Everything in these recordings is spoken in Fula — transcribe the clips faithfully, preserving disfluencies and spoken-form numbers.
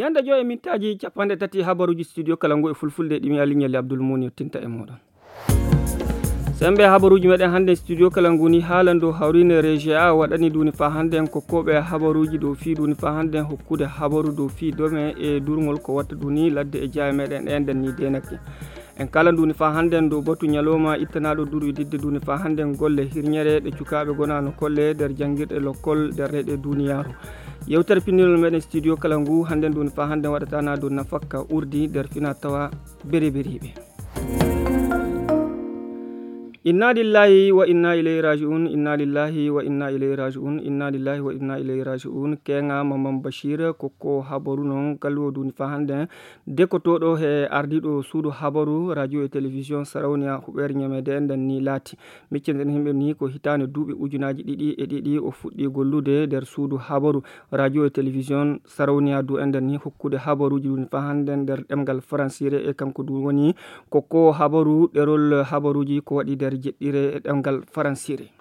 Hannde joy e mintaaji capanɗe tati habaruuji studio kala ngu e fulfulde ɗi mi Ali Ñalli Abdul Muuni yottinta e mooɗon. Sembe habaruuji meɗen hannde studio kala ngu ni haalan dow hawriinde Régie A waɗani duni fa hannde en kokkooɓe habaruuji dow fii duni fa hannde en hokkude habaru dow fii dome e durngol ko watta duni ladde e jaaye meɗen ɗen nden ni deenake. En kala duni fa hannde en dow batu ñalawma ittanaaɗo durwi didde duni fa hannde en golle hirñere ɗe cukaaɓe gonano kolle nder janngirɗe lokkol nder reyɗe duniyaaru. Yewtere pinndinol meɗen studio kala ngu hannde duni fa hannde waɗatana dow nafakka urdi nder fina tawa bereberiiɓe. Inna lillahi wa inna ilayhi raji'un, inna lillahi wa inna ilayhi raji'un, inna lillahi wa inna ilayhi raji'un. Keŋa Mamman Bashir kokko habaru non kalwo duni fa hannde. Dekotooɗo he ardiiɗo suudu habaru radio e télévision Sarauniya huɓeere ñameede en nden ni laati. Miccen yimɓe ni ko hitaande duuɓi ujunaaji ɗiɗi e ɗiɗi o fuɗɗi gollude nder suudu habaru radio e télévision Sarauniya du en nden ni hokkude habaruuji duni fa hannde nder ɗemngal faransiire e kanko du woni kokko habaru ɗerol habaruuji ko waɗi nder jeɗɗire e ɗemngal faransiire.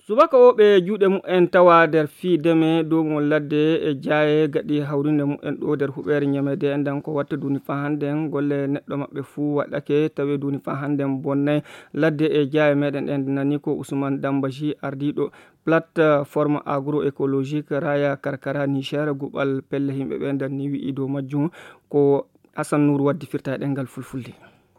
Subaka o ɓe juuɗe mumen tawa nder fii deme dow mo ladde e jaaye gaɗi hawrinde mumen ɗo nder huɓeere ñamede e nden ko watta duni fa hannde golle neɗɗo maɓɓe fuu waɗake tawe duni fa hannde bonnay ladde e jaaye meɗen en nani ko Ousmane Dambaji ardiiɗo plateforme agroécologique raya karkara Niger guɓal pelle yimɓe ɓe nden ni wi'i dow majjum ko Hassan Nour waddi firta e ɗemngal fulfulde.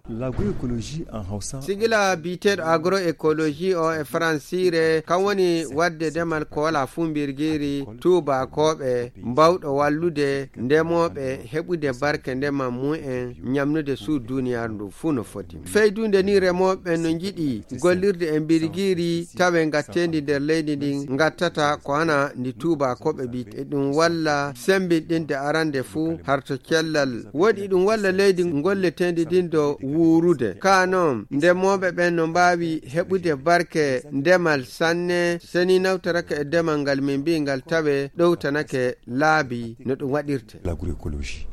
L'agroécologie en Hausa. Sigila biyeteeɗo agroécologie o e faransiire kan woni waɗde demal ko wala fuu mbirgiri tuubakooɓe mbawɗo wallude ndemooɓe heɓude barke ndema mumen ñamnude suu duniyaaru ndu fuu no foti. Feydude ni remooɓe no njiɗi gollirde e mbirgiri tawe ngatteendi nder leydi ndin ngattata ko hana ndi tuubakooɓe biyete. Eɗum walla sembinɗinde arande fuu harto cellal. Woɗi ɗum walla leydi ngolleteendi ndin do wuurude. Ka noon, ndemooɓe ɓen no mbaawi heɓude barke ndemal sanne, seni nawtorake e demal ngal min mbiyi ngal tawe ɗowtanake laabi no ɗum waɗirte. L'agroécologie.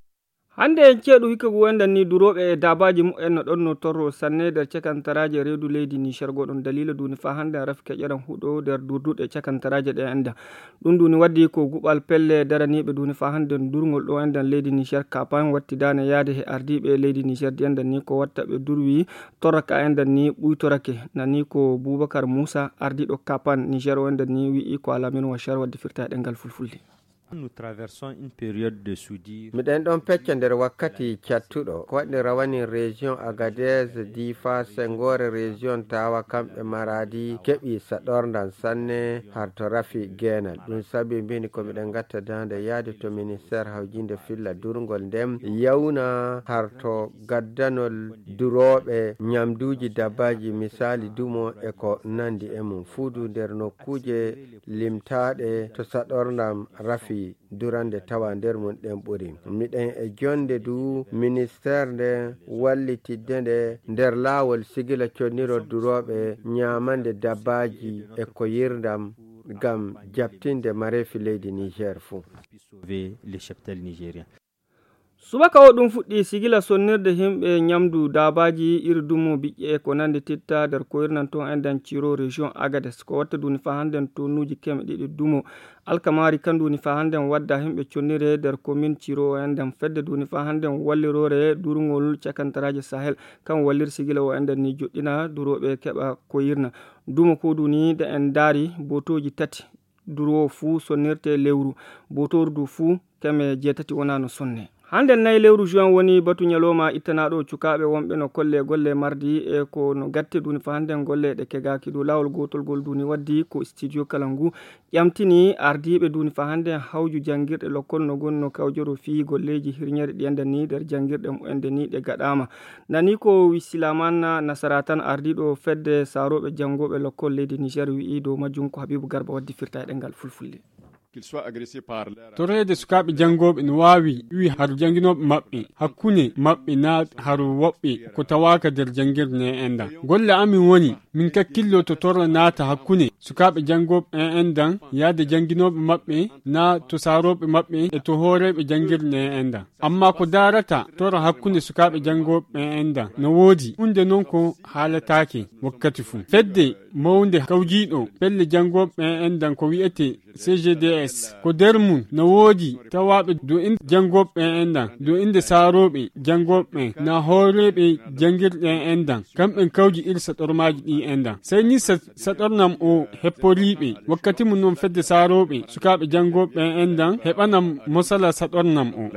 Hannde en ceeɗu hikka ngu enɗan ni durooɓe e daabaaji mumen no ɗon no torro sanne nder cakantaraaje reedu leydi Niger. Goɗon daliila duuni faa hannde en rafi keƴeran huɗo nder durduɗe cakantaraaje ɗe enɗan. Ɗum duuni waddi ko guɓal pelle daraniiɓe duuni faa hannde durngol ɗo enɗan leydi Niger kapan wattidaane yaade he ardiiɓe leydi Niger di enɗan ni ko watta ɓe durwi torraka enɗan ni ɓuytorake. Nani ko Boubacar Moussa ardiiɗo kapan Niger o enɗan ni wi'i ko alaa min wa cher wadde firta e ɗemngal fulfulde. Nous traversons une période de soudure. Miɗen ɗon pecca nder wakkati cattuɗo. Ko waɗi rawani région Agadez, Difa, Sengoore, région Tawa, kamɓe Maradi, keɓi saɗorndam sanne har to rafi geenal. Ɗum sabi mbini ko miɗen gatta daande yaade to ministère hawjinde filla durngol ndem yawna har to gaddanol durooɓe ñamduuji dabbaaji, misaali dumo e ko nandi e mum. Fuudu nder nokkuuje limtaaɗe to saɗorndam rafi durande tawa nder mum ɗen ɓuri. Miɗen e jonde du ministère nde wallitidde nde nder laawol sigila connirol durooɓe ñaamande dabbaaji e ko yirdam ngam jaɓtinde mareefi leydi Niger fuu. Sauver les cheptels nigériens. Subaka o ɗum fuɗɗi sigila sonnirde yimɓe ñamdu daabaaji iri dumo biƴƴe ko nandi titta nder koyirnan to enɗan Ciro région Agadez. Ko watta duuni faa hannden tonnuuji keme ɗiɗi dumo alkamaari kan duuni faa hannden wadda yimɓe connire nder commune Ciro o enɗan fedde duuni faa hannden walliroore durngol cakantaraaje Sahel kan wallir sigila o enɗan ni joɗɗina durooɓe keɓa koyirna. Dumo ko duuni nde en ndaari botooji tati durwo fuu sonnirte lewru, botordu fuu keme jeetati wona no sonne. Hannde nayi lewru juin woni batu ñalawma ittanaaɗo cukaaɓe wonɓe no kolle golle mardi e ko no gatte duuni faa hannden golle ɗe kegaaki dow laawol gootol gol duuni waddi ko studio kala ngu ƴamtini ardiiɓe duuni faa hannden hawju janngirɗe lokkol no gon no kawjoro fii golleeji hirñere ɗi enɗan ni nder janngirɗe mu enɗan ni ɗe gaɗaama. Nani ko Wisilaman Nasara tan ardiiɗo fedde saarooɓe janngooɓe lokkol leydi Niger wi'i dow majjum ko Habibu Garba waddi firta e ɗemngal fulfulde. Torreede sukaaɓe janngooɓe no waawi wi'i har jannginooɓe maɓɓe hakkunde maɓɓe naa har woɓɓe ko tawaaka nder janngirde ne enɗan. Golle amin woni min kakkillo to torra naata hakkunde sukaaɓe janngooɓe en enɗan yaade jannginooɓe maɓɓe naa to saarooɓe maɓɓe e to hooreeɓe janngirde ne enɗan. Amma ko daarata torra hakkunde sukaaɓe janngooɓe en enɗan no woodi. Huunde non ko haalataake wakkati fuu. Fedde mawnde kawjiiɗo pelle janngooɓe en enɗan ko wi'etee C G D S. Ko nder mum no woodi tawaaɓe dow innde janngooɓe ɓen enɗan, dow innde saarooɓe janngooɓe ɓen, na hooreeɓe janngirɗe en enɗan. Kamɓe kawji iri saɗormaaji ɗi enɗan. Sey ni sa-, saɗornam o hepporiiɓe. Wakkati mum non fedde saarooɓe sukaaɓe janngooɓe ɓen enɗan heɓanam mosala saɗornam o.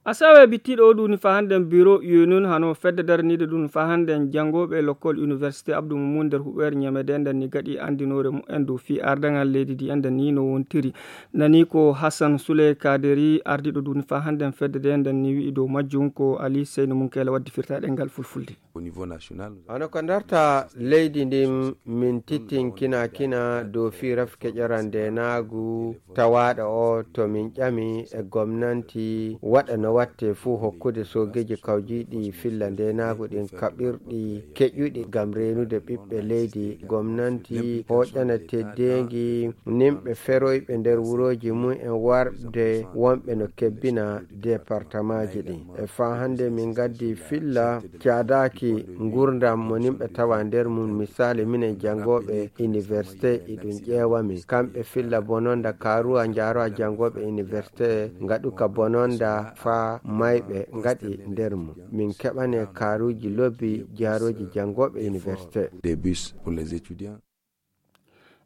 Asawe bittiiɗo o duuni faa hannden biro Yunun hano fedde daraniiɗo duuni faa hannden janngooɓe lokkol Université Abdou Moumoun nder huɓeere Ñeme de nden ni gaɗi anndinoore mumen dow fii ardaŋal leydi ndi enden ni no wontiri. Nani ko Hassan Souley Kaderi ardiiɗo duuni faa hannden fedde de nden ni wi'i dow majjum ko Ali Seyni Munkela waddi firtaaɗe ngal fulfulde. Hono ko ndarta leydi ndin min tittinkina kina dow fii rafi keƴoral ndeenaagu tawaaɗo o to min ƴami e gomnanti waɗa no watte fuu hokkude soogeeji kawjiiɗi filla ndeenaagu ɗin kaɓirɗi keƴuɗi ngam reenude ɓiɓɓe leydi. Gomnanti hooƴana teddeengi nimɓe feroyɓe nder wurooji mum en warde wonɓe no kebbina departamaaji ɗin. E faa hannde min ngaddi filla caadaaki ngurdam mo nimɓe tawa nder mum. Misaali, minen janngooɓe université, iɗum ƴeewa min. Kamɓe filla bononda kaaruwa njaarowa janngooɓe université ngaɗuka bononda faa mayɓe ngaɗi nder mum. Min keɓane kaaruuji lobbi jaarooji janngooɓe université. Des bus pour les étudiants.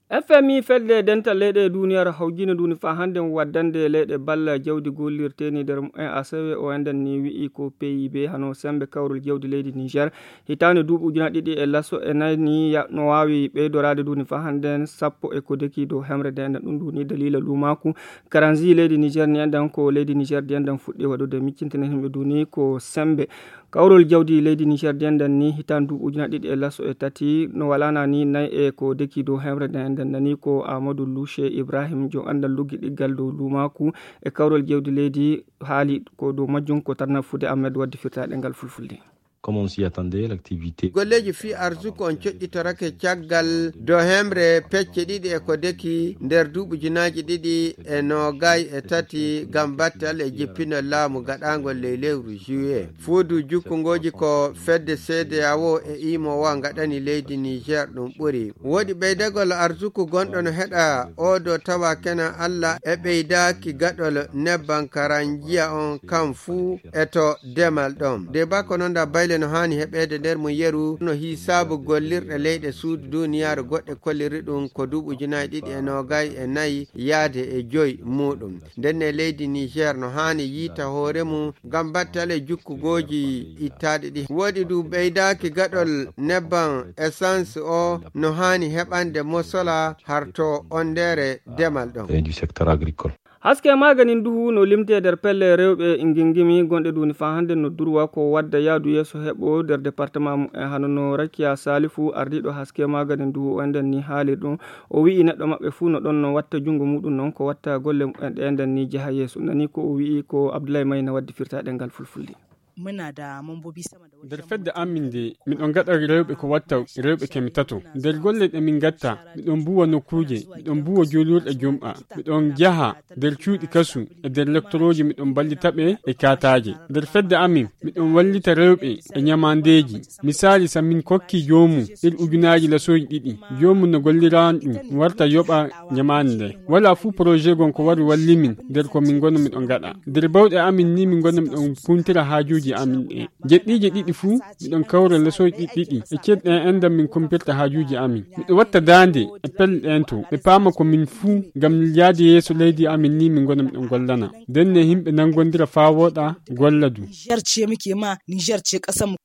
F M I fedde dental leyɗe e duniyaaru hawjino duuni faa hannden waddande leyɗe balla jawdi gollirteeni nder mumen asawe o enɗan ni wi'i ko P I B hano sembe kawrol jawdi leydi Niger. Hitaande duuɓi ujunaaji ɗiɗi e laso e nayi ni ya-, no waawi ɓeydoraade duuni faa hannden sappo e ko deki dow hemre de enɗan ɗum duuni daliila luumaaku. Karanzi leydi Niger ni enɗan ko leydi Niger di enɗan fuɗɗi waɗude miccintinen himɓe duuni ko sembe. Kawrol jawdi leydi Niger di enɗan ni hitaande duuɓi ujunaaji ɗiɗi e laso e tati no walana ni nayi e ko deki dow hemre de enɗan nani ko Amadou Louche Ibrahim jo anndal luggi ɗiggal dow luumaaku e kawrol jawdi leydi haali ko dow majjum ko tarnafude Ahmed waddi firtaaɗe ngal fulfulde. Comme on s'y attendait, l'activité. Golleeji fii arsuku on coƴƴitorake caggal do hemre pecce ɗiɗi e ko deki nder duuɓi ujunaaji ɗiɗi e noogay e tati ngam battal e jippinol laamu gaɗaangol ley lewru juillet. Fuudu jukkungooji ko fedde C D A O e imo wa ngaɗani leydi Niger ɗum ɓuri. Woodi ɓeydagol arsuku gonɗo no heɗa oo do tawa kenan Alla e ɓeydaaki gaɗol nebban karanjiya on kan fuu e to demal ɗon. De ba ko non da bayle no haani heɓeede nder mum yeru no hiisaabu gollirɗe leyɗe suudu duniyaaru goɗɗe kolliri ɗum ko duuɓi ujunaaji ɗiɗi e noogay e nayi yaade e joy muuɗum. Ndenne leydi Niger no haani yiita hoore mum ngam battale jukkugooji ittaaɗi ɗi. Woodi du ɓeydaaki gaɗol nebban essence o no haani heɓande mosola harto on ndere demal ɗon. Et du secteur agricole. Haske maganin duhu no limte nder pelle rewɓe ngingimi gonɗe duni faa hannde no durwa ko wadda yaadu yeeso heɓo nder département mumen hano no Rakiya Salifu ardiiɗo haske maganin duhu o enden ni haali ɗum. O wi'i neɗɗo maɓɓe fuu no ɗon no watta junngo muɗum non ko watta golle mumen ɗe enden ni jaha yeeso. Nani ko o wi'i ko Abdoulaye Mayna waddi firta ɗengal fulfulde. Muna da mambobi sama da wajen nder fedde amin nde, miɗon gaɗa rewɓe ko watta rewɓe kemi tato. Nder golle ɗe min gatta, miɗon mbuwa nokkuuje, miɗon mbuwa juulirɗe jum'a, miɗon jaha nder cuuɗi kasu e nder lektorooji, miɗon mballita ɓe e kaataaje. Nder fedde amin, miɗon wallita rewɓe e ñamaandeeji. Misaali, sa min kokki joomum ir ujunaaji lasooji ɗiɗi, joomum no golliraan ɗum, warta yoɓa ñamaande nde. Wala fuu projet gon ko wari walli min nder ko min ngona miɗon gaɗa. Nder bawɗe amin ni min ngona miɗon puntira haajuuji amin ɗe. Jeɗɗiije ɗiɗi fuu, miɗon kawra lesooji ɗiɗi ɗiɗi. E ceeɗu ɗen enɗan min kumpirta haajuuji amin. Miɗo watta daande e pelle ɗen to ɓe paama ko min fuu, ngam yaade yeeso leydi amin ni min ngona miɗon gollana. Ndenne yimɓe nangondira faa wooɗa, golla du. Niger ce muke ma, Niger ce ƙasar mu.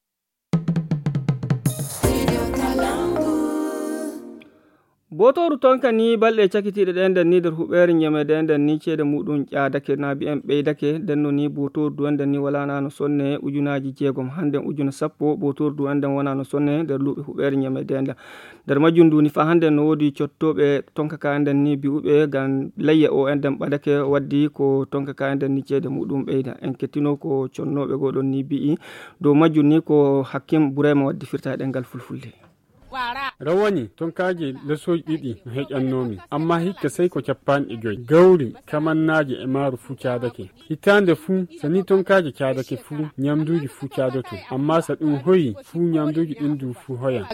Bootooru tonka ni balɗe cakitiiɗe ɗen nden ni nder huɓeere ñemeede nden ni ceede muɗum ƴaadake, naabi en ɓeydake. Nden no ni bootooru du enden ni walaana no sonne ujunaaji jeegom. Hannden ujuna sappo bootooru du enden wonaa no sonne nder luuɓe huɓeere ñemeede nden. Nder majjum du ni faa hannden no woodi cottooɓe tonka ka enden ni bi'uɓe ngam layya o enden ɓadake waddi ko tonka ka enden ni ceede muɗum ɓeyda. En kettino ko connooɓe goo ɗon ni bi'i. Dow majjum ni ko Hakim Burema waddi firta e ɗemngal fulfulde. Rawani tonkaaji lesooji ɗiɗi no heƴannoomi, amma hikka sey ko cappanɗe joy. Gawri, kamannaaji e maaru fuu caadake. Hitaande fuu, so nii tonkaaji caadake fuu, nyamnduuji fuu caadoto. Amma so ɗum hoyi fuu, nyamnduuji ɗin du fuu hoyan.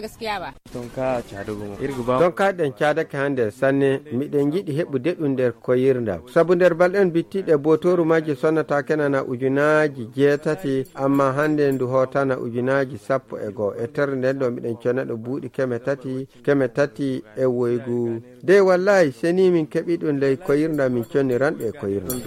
Tonka caadago mo. Irgu ba. Tonkaaji ɗen caadake hannde sanne. Miɗen njiɗi heɓude ɗum nder koyirndam. Sabu nder balɗe on bittiiɗe, bootooru majji sonnata kenana ujunaaji jeetati, amma hannde ndu hootana ujunaaji sappo e goo. E terre nden ɗo miɗen conna ɗo buuɗi keme tati, keme tati e woygu. Dey wallaahi, seni min keɓi ɗum ley koyirndam, min conniran ɗe e koyirndam.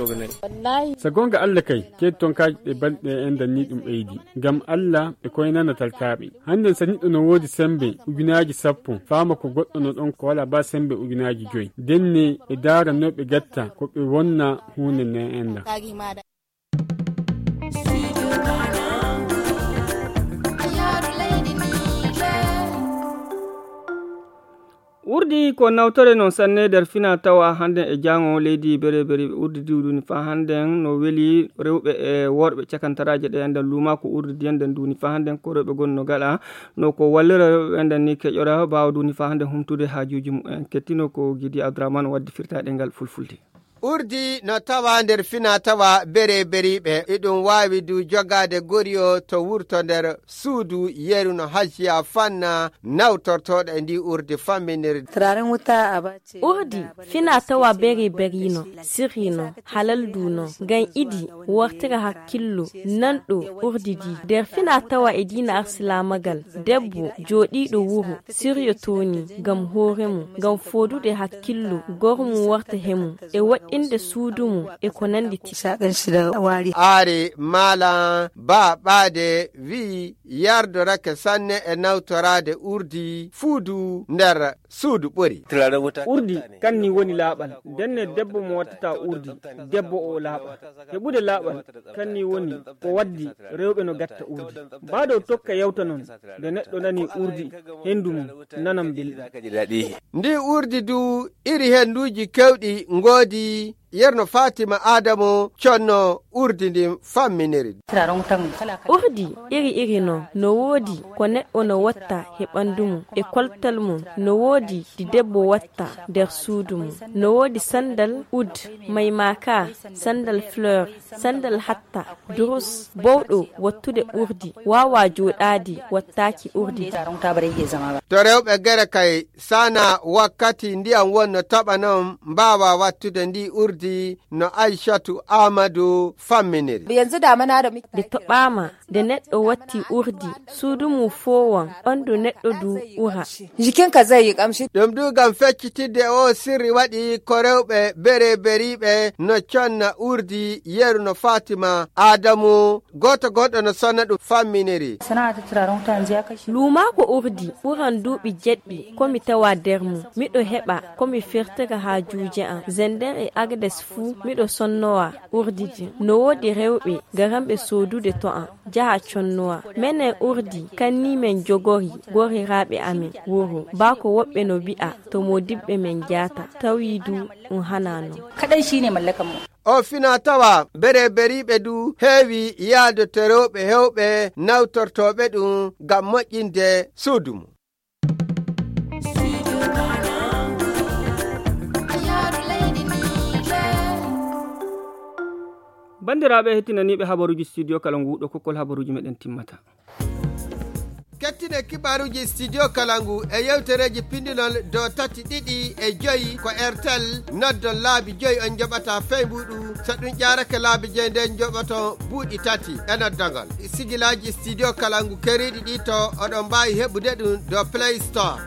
So goonga Alla kay, ceede tonkaaji ɗe balɗe e enɗan ni ɗum ɓeydi. Ngam Alla e koynana talkaaɓe. Hannden so neɗɗo no woodi semmbe ujunaaji sappo, faama ko goɗɗo no ɗon ko walaa baa semmbe ujunaaji joy. Ndenne e daara no ɓe gatta ko ɓe wonna huunde ne enɗan. Urdi ko nawtore non sanne nder fina tawa hannden e jaango leydi bereberi. Urdi diwduni fa hannden no weli rewɓe e worɓe cakantaraaje ɗe enɗan luuma ko urdi diyan nden duni fa hannden ko rewɓe gonno gaɗa no ko wallira rewɓe enɗan ni keƴora baawa duni fa hannden humtude haajuuji mumen. Kettino ko Gidi Abdourahmane waddi firtaɗe ngal fulfulde. Urdi no tawa nder fina tawa bereberiɓe. Iɗum waawi du jogaade goriyo to wurto nder suudu yeru no hajjiya fanna nawtortooɗo e ndi urdi famminirdi. Turaren wuta a ba ce. Urdi fina tawa bereberi no, sirri no, halal du no. Ngam idi wartira hakkillo nanɗo urdi di. Nder fina tawa e diina arsilaamagal, debbo jooɗiiɗo wuro siryo tooni ngam hoore mum, ngam foodude hakkillo gormum warta he mum, e woɗɗinde suudu mum, e ko nanndi ti. Saɗan sida waari. Aare maala baa ɓaade wi'i yardorake sanne e nawtoraade urdi fuudu nder suudu ɓuri. Urdi kanni woni laaɓal. Ndenne debbo mo wattata urdi, debbo o laaɓa. Heɓude laaɓal kanni woni ko waddi rewɓe no gatta urdi. Baa dow tokka yawta non, nde neɗɗo nani urdi, henndu mum nanan belɗum. Ndi urdi du iri hennduuji kewɗi ngoodi. Yerno Fatima Adamo conno urdi ndin famminiri. Urdi iri iri non no woodi ko neɗɗo no watta he ɓanndu mum, e koltal mum, no woodi ɗi debbo watta nder suudu mum, no woodi sanndal ud, maymaka, sanndal fleur, sanndal hatta, durus, bawɗo wattude urdi, waawa jooɗaade wattaaki urdi. To rewɓe gere kay sana wakkati ndiyam wonno toɓa non mbaawa wattude ndi urdi no Aishatu Amadu famminiri. Yanzu damana da muke. Nde toɓaama, nde neɗɗo watti urdi, suudu mum foowan, ɓanndu neɗɗo du ura. Jikinka zai yi kamshi. Ɗum du ngam feccitidde o sirri waɗi ko rewɓe bereberiɓe no conna urdi yeru no Fatima Adamu, gooto goɗɗo no sonna ɗum famminiri. Sana'a ta turaren wuta yanzu ya kashe. Luumaako urdi ɓuran duuɓi jeɗɗi ko mi tawa nder mum. Miɗo heɓa ko mi firtira haajuuji am. Zender e Agdes fuu miɗo sonnowa urdi din. No woodi rewɓe garanɓe soodude to am, jaha connowa. Menen urdi kanni men jogori goriraaɓe amen wuro. Baa ko woɓɓe no wi'a to moodibɓe men jaata. Tawi du ɗum hanaa non. Kaɗai shi ne mallakan mu. O fina tawa bereberiɓe du heewi yaado to rewɓe hewɓe nawtortooɓe ɗum ngam moƴƴinde suudu mum. Banndiraaɓe hettinaniiɓe habaruuji studio kala nguuɗo kokkol habaruuji meɗen timmata. Kettine kibaruuji studio kalangu e yewtereeji pindinol dow tati ɗiɗi e joyi ko airtel. Noddon laabi joyi on njoɓata feybuɗu. So ɗum ƴaarake laabi joyi nden njoɓoton buuɗi tati e noddagol. Sigilaaji studio kalangu keriiɗi ɗi to oɗon mbaawi heɓude ɗum dow Play Store.